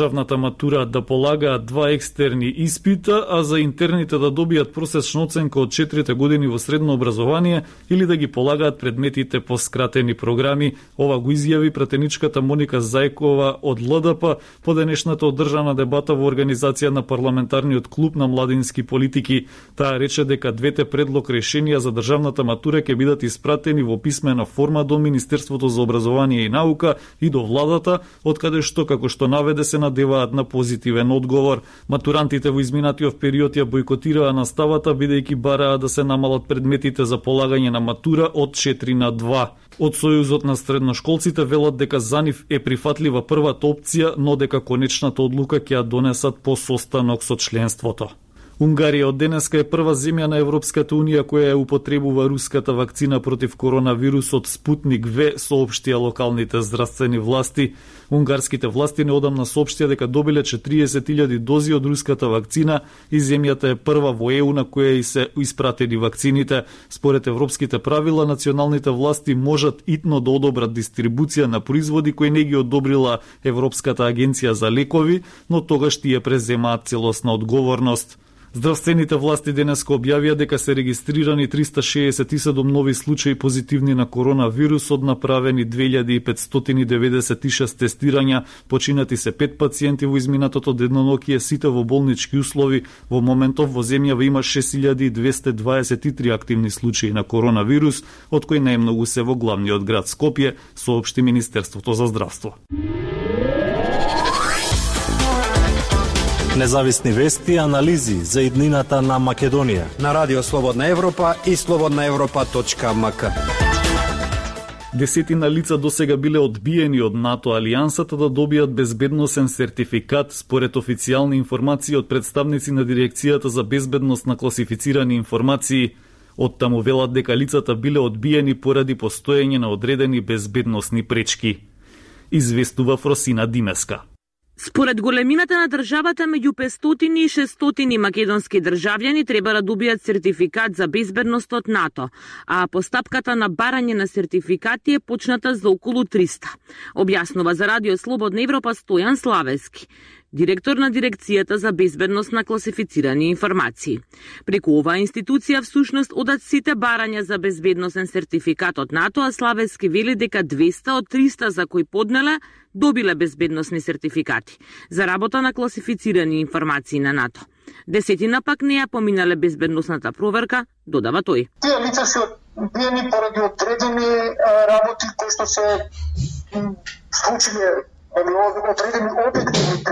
државната матура да полагаат 2 екстерни испита, а за интерните да добијат просечна оценка од 4 години во средно образование или да ги полагаат предметите по скратени програми. Ова го изјави пратеничката Моника Зајкова од ЛДП по денешната одржана дебата во организација на парламентарниот клуб на младински политики. Таа рече дека двете предлог решенија за државната матура ќе бидат испратени во писмена форма до Министерството за образование и наука и до владата, откаде што, како што наведе, се надеваат на позитивен одговор. Матурантите во изминатиот период ја бойкотираа наставата, бидејќи бараа да се намалат предметите за полагање на матура од 4 на 2. Од Сојузот на средношколците велат дека за нив е прифатлива првата опција, но дека конечната одлука ќе ја донесат по состанок со членството. Унгарија од денеска е прва земја на Европската унија која ја употребува руската вакцина против коронавирусот Спутник В, соопштија локалните здравствени власти. Унгарските власти неодамна соопштија дека добиле 40.000 дози од руската вакцина и земјата е прва во ЕУ на која и се испратени вакцините. Според европските правила, националните власти можат итно да одобрат дистрибуција на производи кои не ги одобрила Европската агенција за лекови, но тогаш тие преземаат целосна одговорност. Здравствените власти денеска објавија дека се регистрирани 367 нови случаи позитивни на коронавирус, од направени 2596 тестирања, починати се 5 пациенти во изминатото денонокие, сите во болнички услови. Во моментов во земјава има 6223 активни случаи на коронавирус, од кои најмногу се во главниот град Скопје, соопшти Министерството за здравство. Независни вести и анализи за иднината на Македонија на Радио Слободна Европа и slobodnaevropa.mk. Десетина лица досега биле одбиени од НАТО алијансата да добијат безбедносен сертификат, според официјални информации од представници на Дирекцијата за безбедност на класифицирани информации. Од таму велат дека лицата биле одбиени поради постоење на одредени безбедносни пречки. Известува Фросина Димеска. Според големината на државата, меѓу 500 и 600 македонски државјани треба да добијат сертификат за безбедност од НАТО, а постапката на барање на сертификати е почната за околу 300. Објаснува за Радио Слободна Европа Стојан Славески, директор на Дирекцијата за безбедност на класифицирани информации. Преку оваа институција всушност одат сите барања за безбедносен сертификат од НАТО, а Славески вели дека 200 од 300 за кои поднеле добиле безбедносни сертификати за работа на класифицирани информации на НАТО. Десетина пак не ја поминале безбедносната проверка, додава тој. Тие лица се одбиени поради одредени работи кои што се случиле, одредени објективни